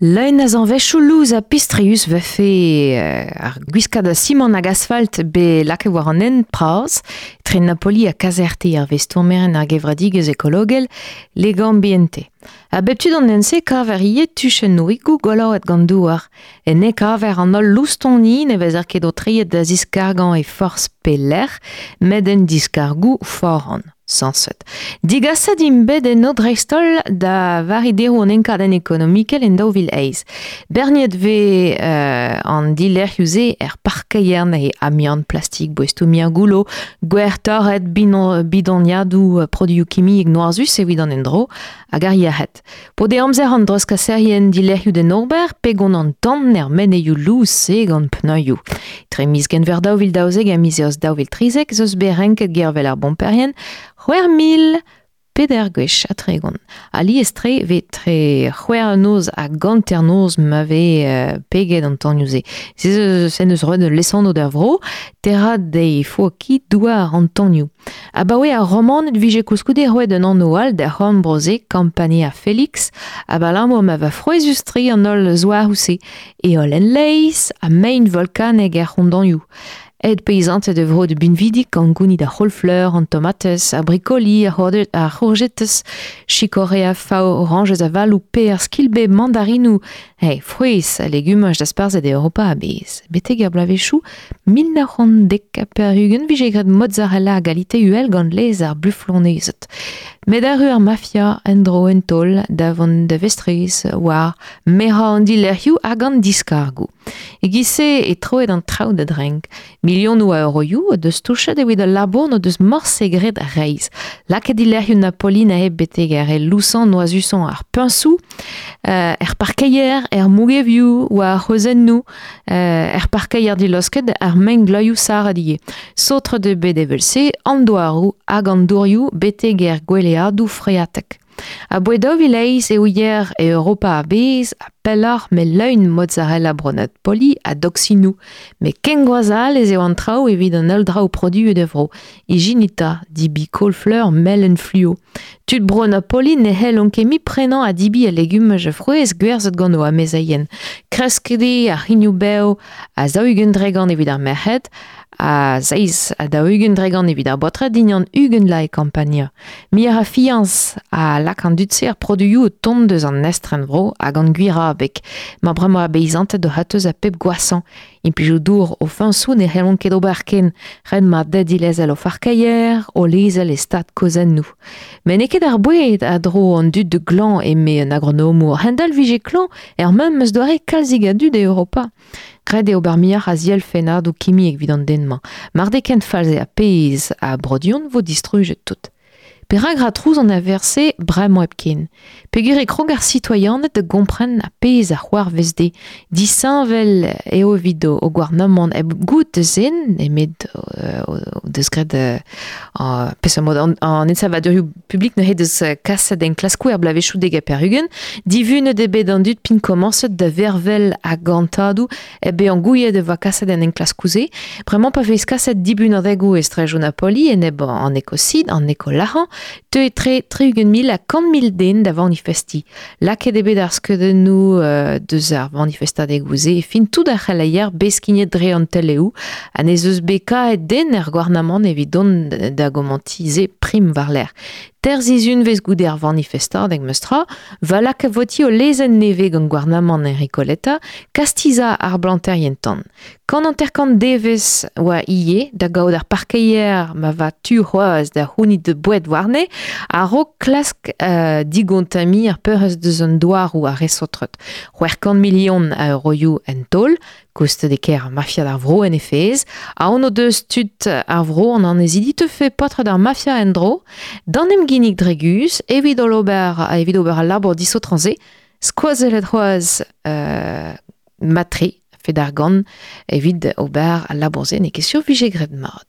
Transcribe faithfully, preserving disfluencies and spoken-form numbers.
Leun a zanvezhioù louz ha pistrius vefe ar gwiskad a simant hag asfalt be lakaet war an hent bras tre Napoli ha Caserte ar vez stourmeren ar gevredigezh ekologel Legambiente. A bep tu d'an hent-se kaver ivez tuchennoùigoù goloet gant douar. Enne kaver an holl loustoni ne vezer ket o treiet da ziskargañ e forzh pelec'h met en diskargoù foran. Sañset. Digaset int bet eno dreist-holl da vari deroù an enkadenn ekonomikel en daou vil eizh. Berniet vez euh, an dilerc'hioù-se er parkeier neuze amiant, plastik, boestoù mir goullo, gwer torret, binon, bidoniadoù, produioù kimiek noazus evit an endro hag ar yec'hed. Po de amzer an dreuzkaserien dilerc'hioù d'en ober, pegon an tan er meneioù louz-se gant pneuioù. Tre miz genver daou vil daouzek ha miz eost daou vil trizek zeus bet renket gervel ar bomperien c'hwec'h mil peder gwech ha tregont. Alies-tre vez tre c'hwec'h noz hag hanternoz ma vez euh, peget an tanioù-se. Se se neus roet lesanv d'ar vro, terra dei fuochi douar an tanioù. Abaoe ar romaned vije koulskoude roet un anv all da c'horn-bro-se Campania Felix, abalamour ma va frouezhus-tre an holl zouaroù-se, heol en leizh ha mein volkanek er c'hondanioù. Aet peizanted e vro de binvidik gant gounid ar c'houlfleur, an tomatez, ar brikoli, ar ar c'hourjetez, chikorea, fav, orañjez avaloù, per, skilbe, mandarinoù, hey, frouezh ha legumaj dasparzhet e Europa a-bezh. Betek ar bloavezhioù mil nav c'hant dek ha pevar-ugent vije graet mozzarella a galite uhel gant laezh ar buflonezed. Met arru ar mafia en-dro en taol da vont da vestrez war merañ an dilerc'hioù hag an diskargoù. E-giz-se e troet an traoù da drenk. Milionoù a euroioù o deus touchet evit al labour n'o deus morse graet reizh. Lakaet dilerc'hioù Napoli neuze betek ar re lousañ noazusañ ar puñsoù, euh, er parkeier, er mougevioù war ar c'hwezennoù, euh, er parkeier dilosket ar mengleuzioù sarret ivez. Saotret eo bet evel-se an douaroù hag an dourioù betek er gweleadoù freatek. Aboe daou vil eizh eo yer e Europa a-bezh ha pelloc'h met leun mozzarella bro Napoli ha doksinoù. Met ken gwazh all ez eo an traoù evit an holl draoù produet e vro. Ijinita, dibi kaol-fleur melen fluo. Tud bro Napoli ne c'hellont ket mui prenañ ha dibi al legumaj ha frouezh gwerzhet gant o amezeien. Kresket eo ar c'hrignoù-bev a zaou-ugent dregont evit ar merc'hed, a seizh ha daou-ugent dregont evit ar baotred dindan ugent vloaz e Campania. Muioc'h a fiañs a lak an dud-se ar produioù o tont deus an estrenvro hag an gwir abeg. Ma bremañ a beizanted o c'hateus a pep gwasañ. Implijoù dour o fiñsoù ne c'hellont ket ober ken. Ret mat da dilezel o farkeier, o lezel e stad kozennoù. Met n'eo ket ar boued a dro an dud de glañv eme un agronomour. Hendal vije klañv er memes doare kalzik a dud e Europa. Graet eo ober muioc'h a zielfennadoù kimiek evit an den-mañ. Mar d'eo ken false ha pezh a brodion vo distrujet tout. Perak ra trouz an averse bremañ hepken. Peogwir e krog ar sitoaianed da gompren ar pezh a c'hoarvez dezhe. Disheñvel eo evit o gouarnamant hep goût da zen, nemet o deus graet uh, peseurt mod an, an ensavadurioù publik neuze deus kaset enklaskoù er bloavezhioù dek ha pevar-ugent. Divunet eo bet an dud p'int komañset da vervel a gantadoù hep bezañ gouiet e oa kaset an enklaskoù-se. Bremañ pa vez kaset dibunadegoù e straejoù Napoli enep an ekosid, an ekolac'hañ, teu tre tri-ugent mil ha kant mil den da vanifesti. Lakaet eo bet ar skeudennoù euh, deus ar vanifestadegoù-se e fin tout ar c'heleier beskignet dre an teleoù ha n'ez eus bet kaet den er gouarnamant evit dont da gomantize prim war-lerc'h. Ter zizunvez goude ar vanifestadeg meus tra, va laka voti o lezenn nevez gant gouarnamant Enrico Letta, kastizañ ar blanterien tan. Kant hanter-kant devezh oa ivez da gaout ar parkeier ma va tu c'hoazh da c'hounit boued warne, a-raok klask euh, digontamiñ ar peurrest deus an douaroù ar re saotret. C'hwec'h kant milion a euroioù en taol, koustet e ker ar mafia d'ar vro en he fezh, aon o deus tud ar vro an annezidi teufe paotred ar mafia en-dro, d'an em ginnig dre guzh, evit ober, evit ober al labour disaotrañ-se, skoazellet c'hoazh euh, matre, fet argant, evit ober al labour-se n'eo ket sur vije graet mat.